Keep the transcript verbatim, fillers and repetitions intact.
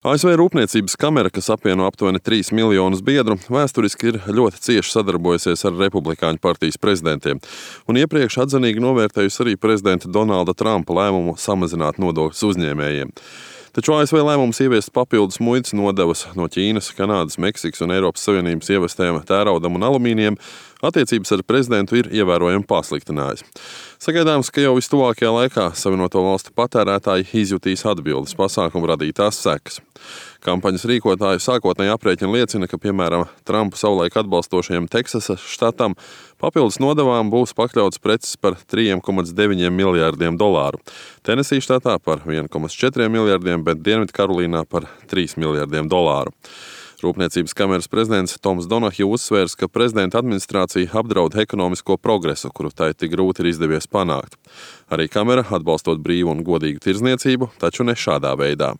A S V Rūpniecības kamera, kas apvieno aptuveni trīs miljonus biedru, vēsturiski ir ļoti cieši sadarbojusies ar Republikāņu partijas prezidentiem un iepriekš atzinīgi novērtējusi arī prezidenta Donalda Trumpa lēmumu samazināt nodokļus uzņēmējiem. Taču A S V lēmums ieviest papildus muitas nodevas no Ķīnas, Kanādas, Meksikas un Eiropas Savienības ievestiem tēraudam un alumīnijam attiecības ar prezidentu ir ievērojami pasliktinājis. Sagaidāms, ka jau vistuvākajā laikā Savienoto Valstu patērētāji izjutīs atbildes pasākumu radītās sekas. Kampaņas rīkotāju sākotnēji aprēķini liecina, ka, piemēram, Trumpu savulaik atbalstošajam Teksasas štatam papildus nodevām būs pakļauts preces par trīs komats deviņi miljārdiem dolāru, Tenesī štatā par viens komats četri miljārdiem, bet Dienvidkarolīnā par trīs miljārdiem dolāru. Rūpniecības kameras prezidents Toms Donahju uzsvērs, ka prezidenta administrācija apdraud ekonomisko progresu, kuru tai tik grūti ir izdevies panākt. Arī kamera atbalstot brīvu un godīgu tirdzniecību, taču ne šādā veidā.